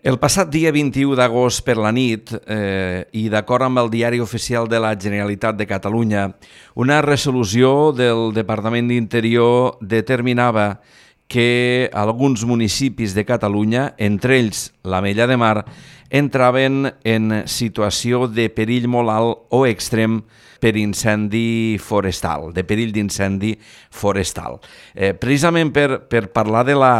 El passat dia 21 d'agost per la nit, i d'acord amb el Diari Oficial de la Generalitat de Catalunya, una resolució del Departament d'Interior determinava que alguns municipis de Catalunya, entre ells l'Ametlla de Mar, entraven en situació de perill molt alt o extrem per incendi forestal, de perill d'incendi forestal. Precisament per parlar de la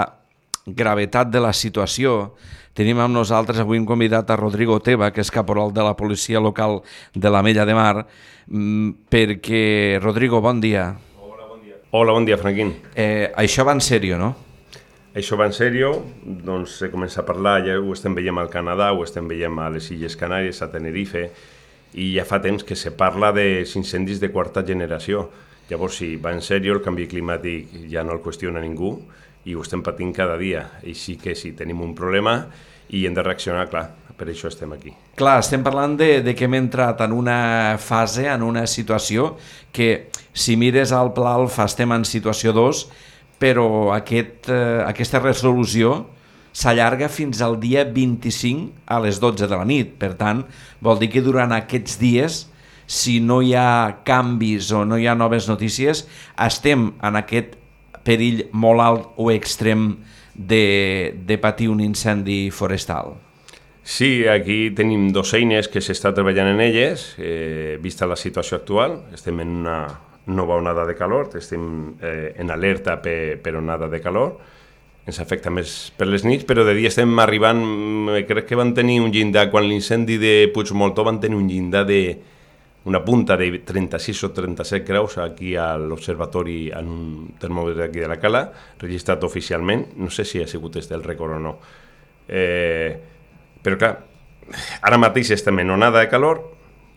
gravetat de la situació, tenim amb nosaltres avui un convidat a Rodrigo Teba, que és caporal de la policia local de l'Ametlla de Mar, perquè, Rodrigo, bon dia. Hola, bon dia, Franquín. Això va en sèrio, no? Això va en sèrio, doncs se comença a parlar, ja ho estem veient al Canadà, ho estem veient a les Illes Canàries, a Tenerife, i ja fa temps que se parla dels incendis de quarta generació. Llavors, si va en sèrio, el canvi climàtic ja no el qüestiona ningú i ho estem patint cada dia. Així que sí, tenim un problema i hem de reaccionar, clar, per això estem aquí. Clar, estem parlant de que hem entrat en una fase, en una situació que, si mires al Pla Alfa, estem en situació 2, però aquesta resolució s'allarga fins al dia 25 a les 12 de la nit. Per tant, vol dir que durant aquests dies, si no hi ha canvis o no hi ha noves notícies, estem en aquest perill molt alt o extrem de patir un incendi forestal. Sí, aquí tenim dos eines que s'està treballant en elles, vista la situació actual. Estem en una nova onada de calor, estem en alerta per onada de calor, ens afecta més per les nits, però de dia estem arribant, crec que van tenir un llindar, quan l'incendi de Puigmoltó van tenir un llindar una punta de 36 o 37 graus aquí a l'observatori, en un termòmetre aquí de la Cala, registrat oficialment. No sé si ha sigut el rècord o no. Però clar, ara mateix estem en onada de calor,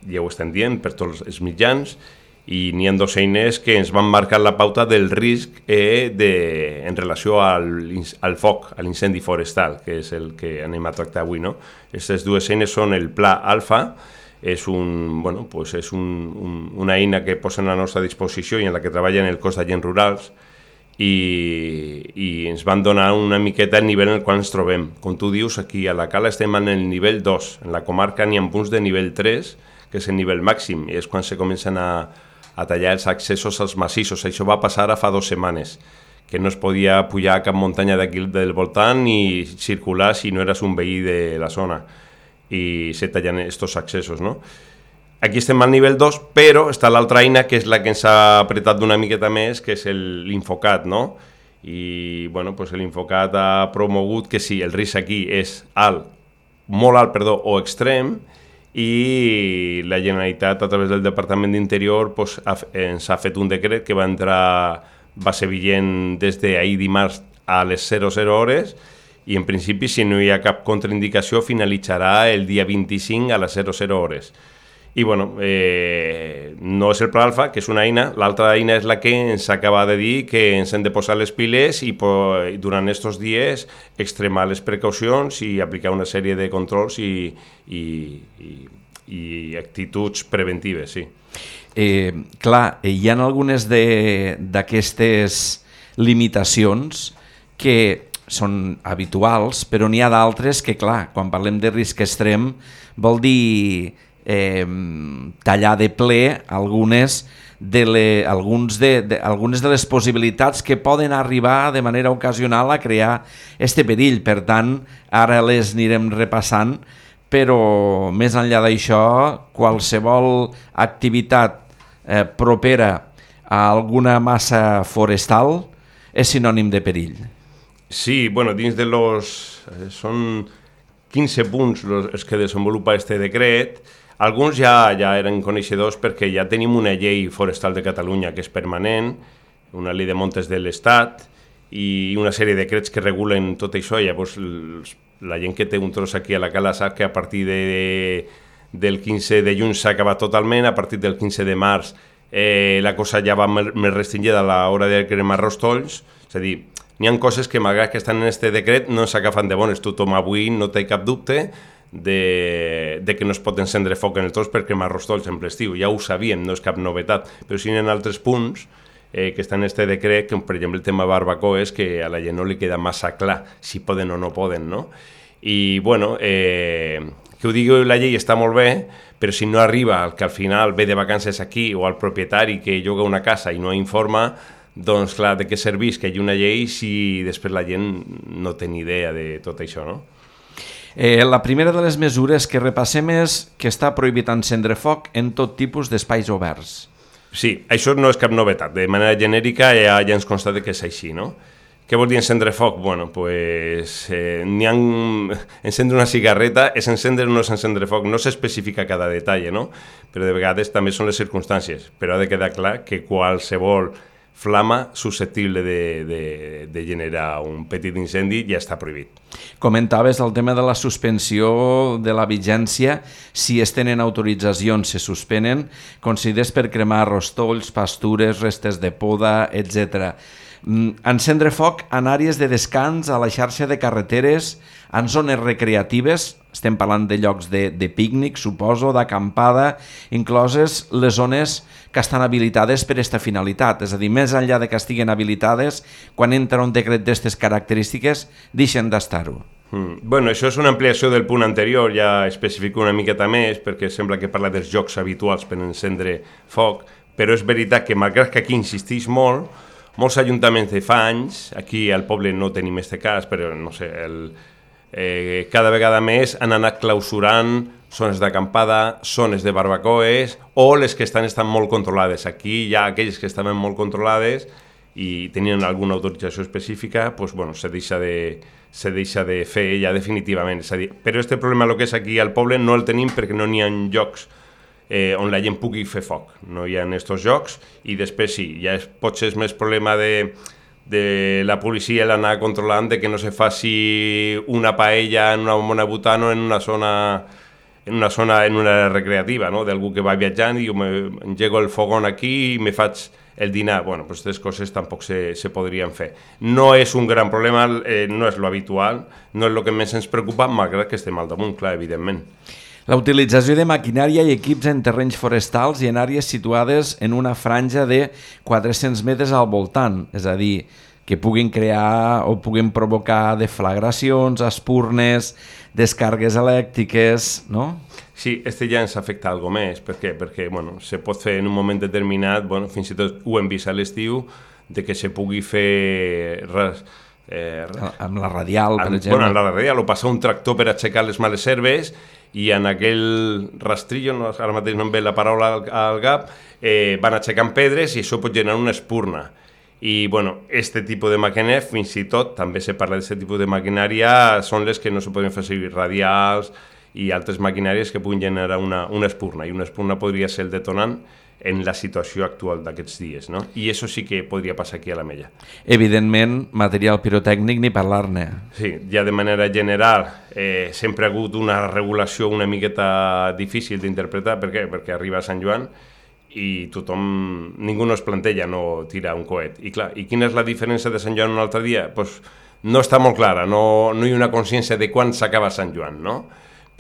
ja ho estem dient per tots els mitjans, i n'hi ha dos eines que ens van marcar la pauta del risc en relació al foc, a l'incendi forestal, que és el que anem a tractar avui, no? Aquestes dues eines són el Pla Alfa, és una eina que posen a la nostra disposició i en la que treballen el cos d'agents rurals, i ens van donar una miqueta el nivell en el qual ens trobem. Com tu dius, aquí a la Cala estem en el nivell 2, en la comarca n'hi ha punts de nivell 3, que és el nivell màxim, i és quan se comencen a tallar els accessos als massissos. Això va passar ara fa 2 setmanes, que no es podia pujar a cap muntanya d'aquí del voltant ni circular si no eres un veí de la zona, i se tallen aquests accessos, no? Aquí estem al nivell 2, però està l'altra eina, que és la que ens ha apretat d'una miqueta més, que és l'Infocat, no? I bueno, pues l'Infocat ha promogut que si el risc aquí és molt alt, o extrem, i la Generalitat, a través del Departament d'Interior, ens ha fet un decret que va ser vigent des d'ahir dimarts a les 00 hores, i en principi, si no hi ha cap contraindicació, finalitzarà el dia 25 a les 00 hores. I bueno, no és el Pla Alfa, que és una eina, l'altra eina és la que ens acaba de dir que ens hem de posar les piles i durant aquests dies extremar les precaucions i aplicar una sèrie de controls i actituds preventives, sí. Clar, hi ha algunes d'aquestes limitacions que són habituals, però n'hi ha d'altres que, clar, quan parlem de risc extrem, vol dir tallar de ple algunes de les possibilitats que poden arribar de manera ocasional a crear este perill. Per tant, ara les anirem repassant, però més enllà d'això, qualsevol activitat propera a alguna massa forestal és sinònim de perill. Sí, bueno, dins de són 15 punts els que desenvolupa este decret. Alguns ja eren coneixedors perquè ja tenim una llei forestal de Catalunya que és permanent, una llei de montes de l'Estat i una sèrie de decrets que regulen tot això. Llavors, la gent que té un tros aquí a la Cala sap que a partir del 15 de juny s'ha acabat totalment, a partir del 15 de març la cosa ja va més restringida a l'hora de cremar rostolls, és a dir, n'hi ha coses que, malgrat que estan en aquest decret, no s'agafen de bones. Tothom avui no té cap dubte de que no es pot encendre foc en el tros per cremar rostolls en ple estiu. Ja ho sabíem, no és cap novetat, però sí hi ha altres punts que està en este decret, com per exemple el tema barbacoes, que a la gent no li queda massa clar si poden o no poden, no? I, bueno, que ho digui la llei està molt bé, però si no arriba el que al final ve de vacances aquí o al propietari que lloga una casa i no informa, doncs clar, de què serveix que hi hagi una llei si després la gent no té ni idea de tot això, no? La primera de les mesures que repassem és que està prohibit encendre foc en tot tipus d'espais oberts. Sí, això no és cap novetat. De manera genèrica ja ens consta que és així, no? Què vol dir encendre foc? Bueno, pues encendre una cigarreta és encendre o no és encendre foc. No s'especifica cada detall, no? Però de vegades també són les circumstàncies. Però ha de quedar clar que qualsevol flama susceptible de generar un petit incendi ja està prohibit. Comentaves el tema de la suspensió de la vigència. Si es tenen autoritzacions, se suspenen, concedides per cremar rostolls, pastures, restes de poda, etc. Encendre foc en àrees de descans, a la xarxa de carreteres, en zones recreatives, estem parlant de llocs de pícnic, suposo, d'acampada, incloses les zones que estan habilitades per a aquesta finalitat. És a dir, més enllà de que estiguen habilitades, quan entra un decret d'aquestes característiques, deixen d'estar-ho. Bueno, això és una ampliació del punt anterior, ja especifico una miqueta més, perquè sembla que parla dels jocs habituals per encendre foc, però és veritat que, malgrat que aquí insisteix molt, molts ajuntaments de fa anys, aquí al poble no tenim aquest cas, però no sé, cada vegada més han anat clausurant zones d'acampada, zones de barbacoes o les que estan molt controlades. Aquí hi ha aquelles que estaven molt controlades i tenien alguna autorització específica, doncs, bueno, se deixa de fer ja definitivament. És a dir, però aquest problema, el que és aquí al poble, no el tenim perquè no n'hi ha llocs on la gent pugui fer foc. No hi ha aquests jocs i després sí, ja potser és més problema de la policia l'anar controlant de que no se faci una paella en una bona butana en una zona recreativa, no? D'algú que va viatjant i jo engego el fogón aquí i me faig el dinar. Bueno, pues aquestes coses tampoc se podrien fer. No és un gran problema, no és lo habitual, no és el que més ens preocupa, malgrat que estem al damunt, clar, evidentment. La utilització de maquinària i equips en terrenys forestals i en àrees situades en una franja de 400 metres al voltant, és a dir, que puguin crear o puguin provocar deflagracions, espurnes, descargues elèctriques, no? Sí, ja ens afecta algo més. Per què? Perquè bueno, se pot fer en un moment determinat, bueno, fins i tot ho hem vist a l'estiu, de que se pugui fer res, amb la radial, per exemple. Bueno, amb la radial, o passar un tractor per aixecar les males herbes i en aquell rastrillo, no, ara mateix no em ve la paraula al cap, van aixecant pedres i això pot generar una espurna. I, bueno, este tipus de maquinària, fins i tot, també se parla d'aquest tipus de maquinària, són les que no se poden fer servir radials i altres maquinàries que puguin generar una espurna, i una espurna podria ser el detonant en la situació actual d'aquests dies, no? I això sí que podria passar aquí a l'Ametlla. Evidentment, material pirotècnic ni parlar-ne. Sí, ja de manera general sempre ha hagut una regulació una miqueta difícil d'interpretar. Per què? Perquè arriba a Sant Joan i ningú no es planteja no tirar un coet. I clar, i quina és la diferència de Sant Joan un altre dia? Pues no està molt clara, no hi ha una consciència de quan s'acaba Sant Joan, no?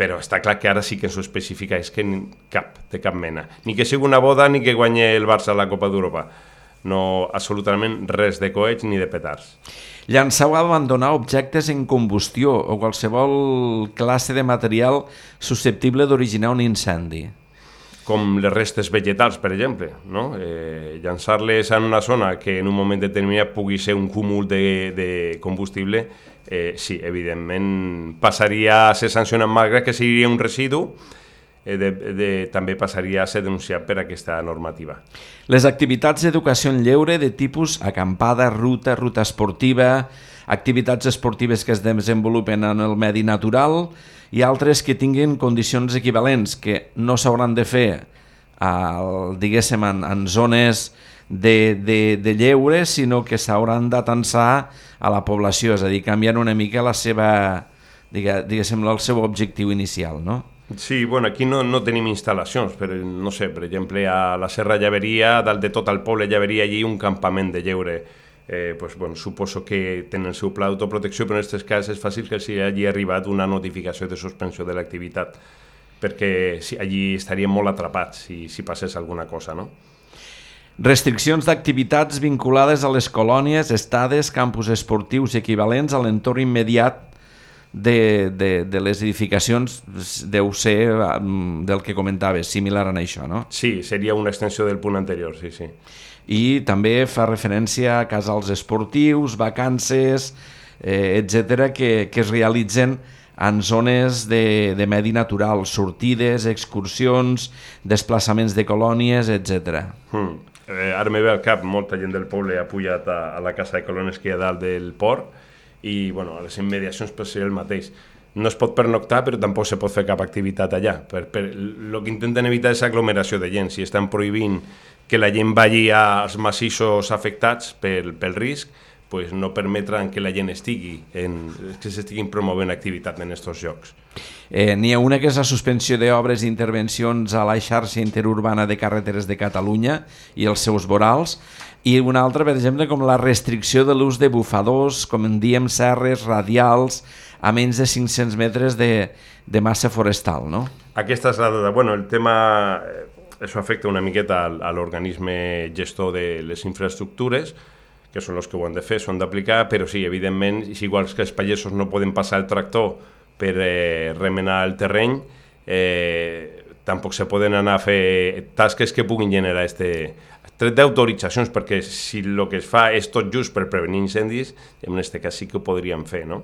Però està clar que ara sí que ens ho especifica, és que de cap mena. Ni que sigui una boda ni que guanyi el Barça a la Copa d'Europa. No, absolutament res de coets ni de petards. Llançar o abandonar objectes en combustió o qualsevol classe de material susceptible d'originar un incendi. Com les restes vegetals, per exemple, no? Llançar-les en una zona que en un moment determinat pugui ser un cúmul de combustible, sí, evidentment passaria a ser sancionat, malgrat que seria un residu, també passaria a ser denunciat per aquesta normativa. Les activitats d'educació en lleure de tipus acampada, ruta esportiva, activitats esportives que es desenvolupen en el medi natural i altres que tinguin condicions equivalents, que no s'hauran de fer diguéssim, en zones de lleure, sinó que s'hauran d'atensar a la població, és a dir, canviant una mica la seva, diguéssim, el seu objectiu inicial, no? Sí, bueno, aquí no tenim instal·lacions, però no sé, per exemple, a la Serra Llaveria, dalt de tot el poble Llaveria, hi ha un campament de lleure. Pues, bueno, suposo que tenen el seu pla d'autoprotecció, però en aquest cas és fàcil que s'hi hagi arribat una notificació de suspensió de l'activitat, perquè allí estaríem molt atrapats si passés alguna cosa, no? Restriccions d'activitats vinculades a les colònies, estades, campus esportius equivalents a l'entorn immediat de les edificacions deu ser del que comentaves, similar a això, no? Sí, seria una extensió del punt anterior, sí, sí. I també fa referència a casals esportius, vacances, etc., que es realitzen en zones de medi natural, sortides, excursions, desplaçaments de colònies, etc. Ara me ve al cap, molta gent del poble ha pujat a la casa de colònies que hi ha dalt del port i bueno, a les immediacions pot ser el mateix. No es pot pernoctar, però tampoc se pot fer cap activitat allà. El que intenten evitar és aglomeració de gent. Si estan prohibint que la gent vagi als massissos afectats pel risc, pues no permetran que la gent que s'estiguin promovent activitat en aquests llocs. N'hi ha una que és la suspensió d'obres i intervencions a la xarxa interurbana de carreteres de Catalunya i els seus vorals, i una altra, per exemple, com la restricció de l'ús de bufadors, com en diem, serres radials, a menys de 500 metres de massa forestal, no? Aquesta és la dada. Bueno, el tema, això afecta una miqueta a l'organisme gestor de les infraestructures, que són els que ho han de fer, s'ho han d'aplicar, però sí, evidentment, igual que els pagesos no poden passar el tractor per remenar el terreny, tampoc se poden anar a fer tasques que puguin generar tret d'autoritzacions, perquè si el que es fa és tot just per prevenir incendis, en aquest cas sí que ho podríem fer, no?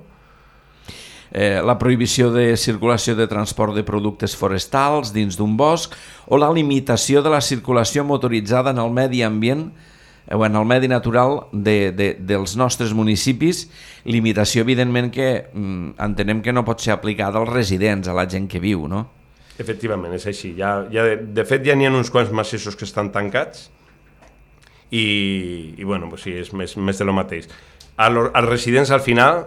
La prohibició de circulació de transport de productes forestals dins d'un bosc o la limitació de la circulació motoritzada en el medi ambient o en el medi natural dels nostres municipis, limitació evidentment que entenem que no pot ser aplicada als residents, a la gent que viu, no? Efectivament, és així. De fet, ja n'hi ha uns quants massissos que estan tancats i bueno, pues sí, és més de lo mateix. Als residents al final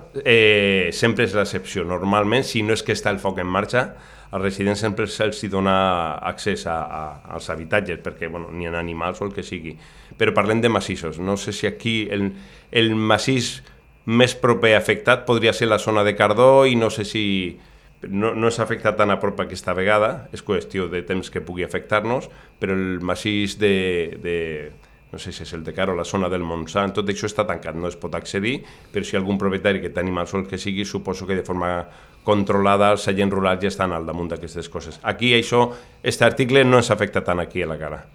sempre és l'excepció. Normalment, si no és que està el foc en marxa, als residents sempre se'ls dona accés als habitatges, perquè bueno, n'hi ha animals o el que sigui. Però parlem de massissos. No sé si aquí el massís més proper afectat podria ser la zona de Cardó i no sé si no és afectat tan a prop aquesta vegada, és qüestió de temps que pugui afectar-nos, però el massís no sé si és el de Caro, la zona del Montsant, tot això està tancat, no es pot accedir, però si hi ha algun propietari que té animals o el que sigui, suposo que de forma controlada els agents rurals ja estan al damunt d'aquestes coses. Aquí aquest article no ens afecta tant aquí a la cara.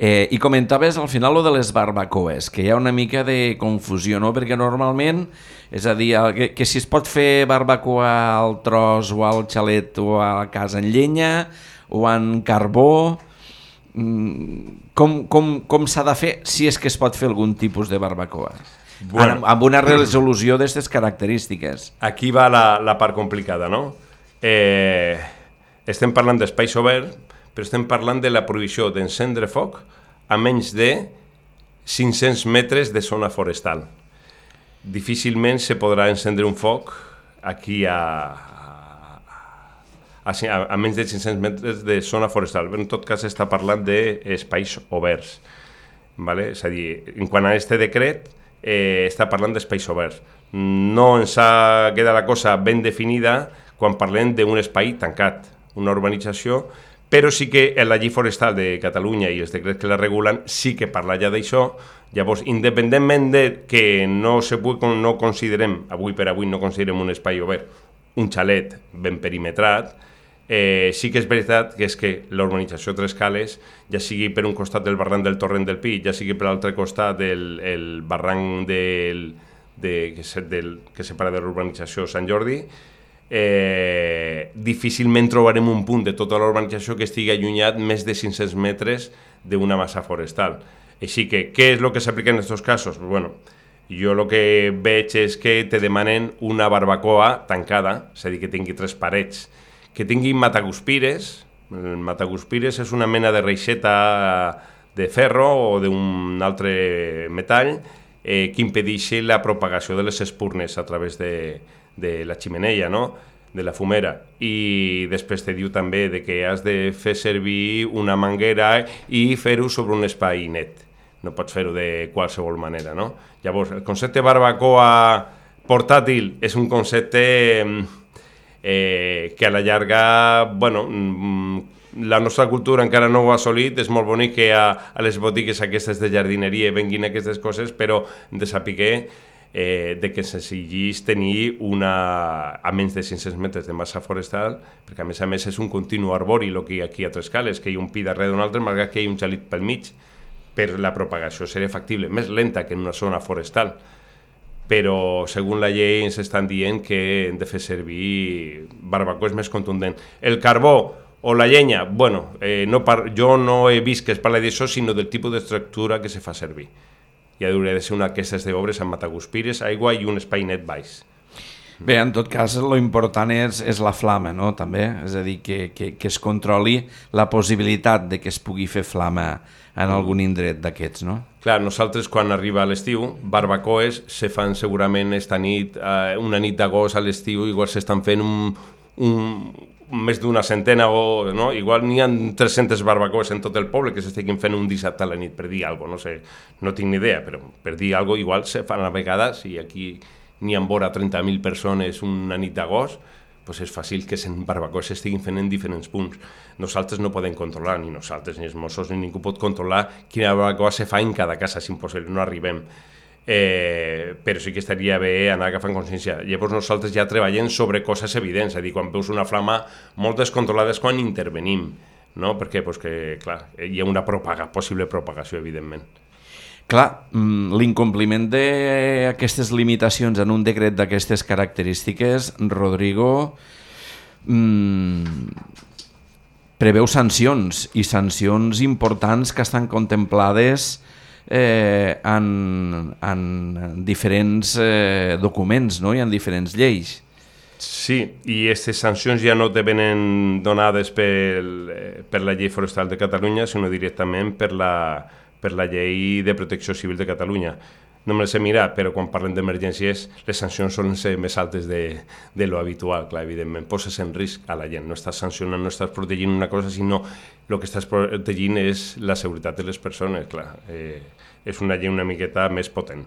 I comentaves al final lo de les barbacoes, que hi ha una mica de confusió, no? Perquè normalment, és a dir, que si es pot fer barbacoa al tros o al xalet o a la casa en llenya o en carbó, com s'ha de fer si és que es pot fer algun tipus de barbacoa? Bueno, amb una resolució d'aquestes característiques. Aquí va la part complicada, no? Estem parlant d'espais oberts, però estem parlant de la prohibició d'encendre foc a menys de 500 metres de zona forestal. Difícilment se podrà encendre un foc aquí a menys de 500 metres de zona forestal. En tot cas, està parlant d'espais oberts. Vale? És a dir, en quant a aquest decret, està parlant d'espais oberts. No ens queda la cosa ben definida quan parlem d'un espai tancat, una urbanització, però sí que la llei forestal de Catalunya i els decrets que la regulen sí que parla ja d'això. Llavors, independentment de que no considerem, avui per avui no considerem un espai obert, un xalet ben perimetrat, sí que és veritat que és que la urbanització Tres Cales, ja sigui per un costat del barranc del Torrent del Pi, ja sigui per l'altre costat del barranc que separa de l'urbanització Sant Jordi, difícilment trobarem un punt de tota la urbanització que estigui allunyat més de 500 metres d'una massa forestal. Així que, què és el que s'aplica en aquests casos? Bueno, jo el que veig és que te demanen una barbacoa tancada, és a dir, que tingui 3 parets, que tingui mataguspires. El mataguspires és una mena de reixeta de ferro o d'un altre metall que impedeixi la propagació de les espurnes a través de la ximenea, no? De la fumera. I després te diu també que has de fer servir una manguera i fer-ho sobre un espai net. No pots fer-ho de qualsevol manera, no? Llavors, el concepte barbacoa portàtil és un concepte que a la llarga, bueno, la nostra cultura encara no ho ha assolit. És molt bonic que a les botigues aquestes de jardineria venguin aquestes coses, però hem de saber de que s'exigís tenir a menys de 500 metres de massa forestal, perquè a més és un continu arbori el que hi ha aquí a Trescales, que hi ha un pi darrere d'un altre, malgrat que hi ha un xalit pel mig, per la propagació seria factible, més lenta que en una zona forestal. Però, segons la llei, ens estan dient que hem de fer servir barbacoa més contundent. El carbó o la llenya, bueno, jo no he vist que es parli d'això, sinó del tipus d'estructura que se fa servir. Ja hauria de ser una d'aquestes d'obres amb mataguspires, aigua i un espai net baix. Bé, en tot cas, lo important és la flama, no?, també. És a dir, que es controli la possibilitat de que es pugui fer flama en algun indret d'aquests, no? Clar, nosaltres quan arriba l'estiu, barbacoes se fan segurament esta nit, una nit d'agost a l'estiu, igual s'estan fent més d'una centena, o no? Igual n'hi ha 300 barbacoes en tot el poble que s'estiguin fent un dissabte a la nit, per dir alguna cosa, no sé, no tinc ni idea, però per dir alguna cosa, igual se fan a vegades, i aquí n'hi ha vora 30.000 persones una nit d'agost, doncs és fàcil que en barbacoes s'estiguin fent en diferents punts. Nosaltres no podem controlar, ni nosaltres, ni els Mossos, ni ningú pot controlar quina barbacoa se fa en cada casa, és impossible, no arribem. Però sí que estaria bé anar agafant consciència. Llavors nosaltres ja treballem sobre coses evidents, és a dir, quan veus una flama molt descontrolada és quan intervenim, no? Perquè clar, hi ha una possible propagació, evidentment. Clar, l'incompliment d'aquestes limitacions en un decret d'aquestes característiques, Rodrigo, preveu sancions, i sancions importants que estan contemplades en diferents documents, no?, i en diferents lleis. Sí, i aquestes sancions ja no te venen donades per la llei forestal de Catalunya, sinó directament per la llei de protecció civil de Catalunya. No me les he mirat, però quan parlem d'emergències les sancions solen ser més altes de lo habitual, clar, evidentment. Poses en risc a la gent, no estàs sancionant, no estàs protegint una cosa, sinó el que estàs protegint és la seguretat de les persones, clar. És una llei una miqueta més potent.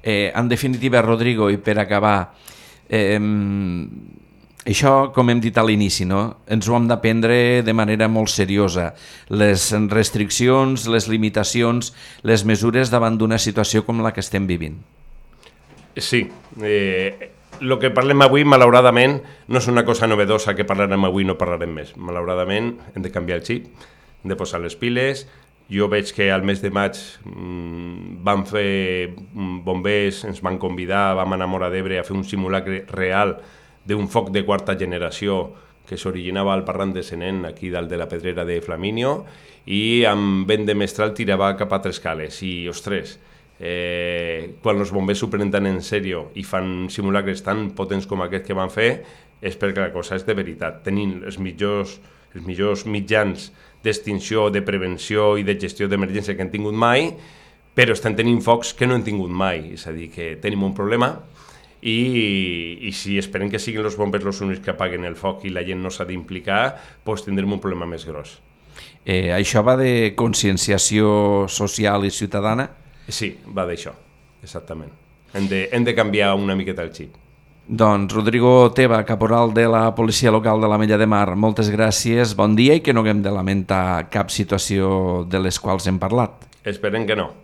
En definitiva, Rodrigo, i per acabar, això, com hem dit a l'inici, no? Ens ho hem de prendre de manera molt seriosa. Les restriccions, les limitacions, les mesures davant d'una situació com la que estem vivint. Sí. El que parlem avui, malauradament, no és una cosa novedosa que parlarem avui i no parlarem més. Malauradament, hem de canviar el xip, hem de posar les piles. Jo veig que al mes de maig vam fer bombers, ens van convidar, vam anar a Móra d'Ebre a fer un simulacre real d'un foc de quarta generació que s'originava al Parran de Senén, aquí dalt de la Pedrera de Flaminio, i amb vent de mestral tirava cap a Trescales. I, ostres, quan els bombers s'ho prenen en sèrio i fan simulacres tan potents com aquest que van fer, és perquè la cosa és de veritat. Tenim els millors mitjans d'extinció, de prevenció i de gestió d'emergència que han tingut mai, però estan tenint focs que no han tingut mai. És a dir, que tenim un problema i si esperem que siguin els bombers els únics que apaguen el foc i la gent no s'ha d'implicar, doncs tindrem un problema més gros. Això va de conscienciació social i ciutadana? Sí, va d'això, exactament. Hem de canviar una miqueta el xip. Doncs Rodrigo Teba, caporal de la Policia Local de l'Ametlla de Mar, moltes gràcies, bon dia i que no haguem de lamentar cap situació de les quals hem parlat. Esperem que no.